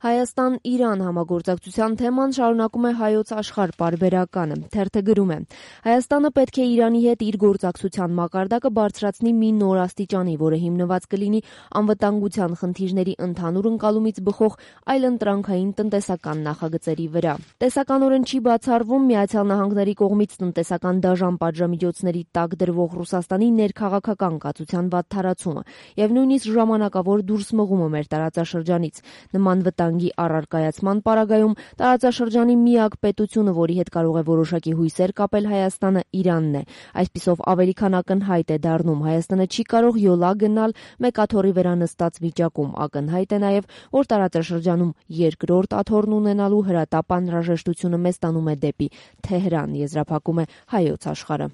Հայաստան-Իրան համագործակցության թեման շարունակում է Հայոց Աշխարհ պարբերականը։ Թերթը գրում է. Հայաստանը պետք է Իրանի հետ իր գործակցության մակարդակը բարձրացնի մի նոր աստիճանի, որը հիմնված կլինի անվտանգության խնդիրների ընդհանուր ընկալումից բխող այլընտրանքային տնտեսական նախագծերի վրա։ Տեսականորեն չի բացառվում Միացյալ Նահանգների կողմից տնտեսական դաժան պատժամիջոցների տակ դրվող Ռուսաստանի ներքաղաքական կացության վատթարացումը եւ նույնիսկ ժամանակավոր դուրս մղումը մեր տարածաշրջանից։ Նման վտանգի առարկայացման պարագայում տարածաշրջանի միակ պետությունը, որի հետ կարող է որոշակի հույսեր կապել Հայաստանը, Իրանն է։ Այսպիսով ավելի քան ակնհայտ է դառնում Հայաստանը չի կարող յոլա գնալ մեկ աթոռի վրա նստած վիճակում։ Ակնհայտ է նաև, որ տարածաշրջանում երկրորդ աթոռն ունենալու հրատապ անհրաժեշտությունը մեզ տանում է դեպի Թեհրան, եզրափակում է Հայոց Աշխարհը։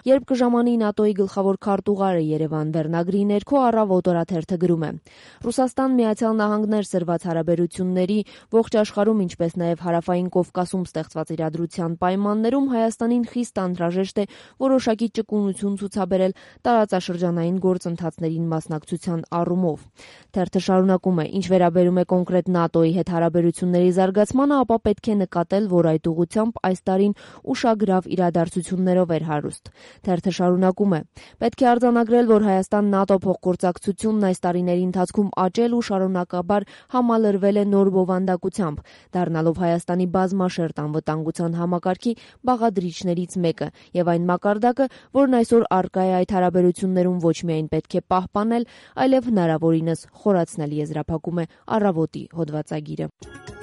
Երբ կժամանի ՆԱՏՕ-ի գլխավոր քարտուղարը Երևան վերնագրի ներքո Առավոտ օրաթերթը գրում է. Ռուսաստան-Միացյալ Նահանգներ սրված հարաբերությունների ողջ աշխարհում, ինչպես նաև Հարավային Կովկասում ստեղծված իրադրության պայմաններում Հայաստանին խիստ անհրաժեշտ է որոշակի ճկունություն ցուցաբերել տարածաշրջանային գործընթացներին մասնակցության առումով։ Թերթը շարունակում է. ինչ վերաբերում է կոնկրետ ՆԱՏՕ-ի հետ հարաբերությունների զարգացմանը, ապա պետք է նկատել, որ այդ ուղղությամբ այս տարին ուշագրավ իրադարձություններով էր հարուստ։ Թերթը շարունակում է. պետք է արձանագրել, որ Հայաստան-ՆԱՏՕ փոխգործակցությունն այս տարիների ընթացքում աճել ու շարունակաբար համալրվել է նոր բովանդակությամբ, դառնալով Հայաստանի բազմաշերտ անվտանգության համակարգի բաղադրիչներից մեկը եւ այն մակարդակը, որն այսօր առկա է այդ հարաբերություններում, ոչ միայն պետք է պահպանել, այլև հնարավորինս խորացնել, եզրափակում է Առավոտի հոդվածագիրը։